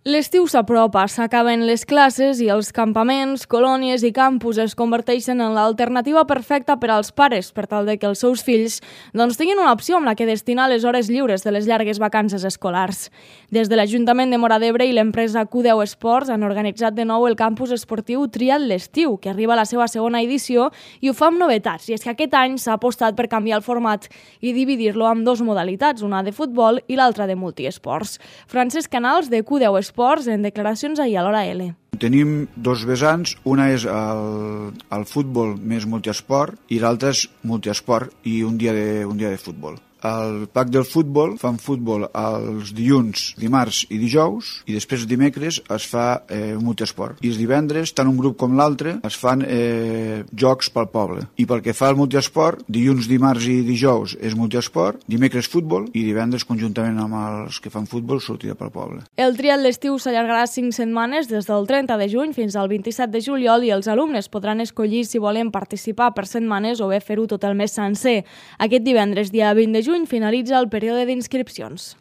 L'estiu s'apropa, s'acaben les classes i els campaments, colònies i campus es converteixen en l'alternativa perfecta per als pares per tal de que els seus fills tinguin una opció amb la que destinar les hores lliures de les llargues vacances escolars. Des de l'Ajuntament de Móra d'Ebre i l'empresa Q10 Esports han organitzat de nou el campus esportiu Triat l'estiu, que arriba a la seva segona edició i ho fa amb novetats. I és que aquest any s'ha apostat per canviar el format i dividir-lo en dues modalitats, una de futbol i l'altra de multiesports. Francesc Canals, de Q10 Esports, en declaracions ahir a l'Hora L. Tenim dos vessants, una és el futbol més multiesport i l'altra és multiesport i un dia de futbol. El pack del futbol fan futbol els dilluns, dimarts i dijous i després dimecres es fa multiesport. I els divendres, tant un grup com l'altre, es fan jocs pel poble. I pel que fa al multiesport, dilluns, dimarts i dijous és multiesport, dimecres futbol i divendres conjuntament amb els que fan futbol sortida pel poble. El triat l'estiu s'allargarà 5 setmanes des del 30 de juny fins al 27 de juliol i els alumnes podran escollir si volen participar per setmanes o bé fer-ho tot el mes sencer. Aquest divendres, dia 20 de juny, finalitza el període d'inscripcions.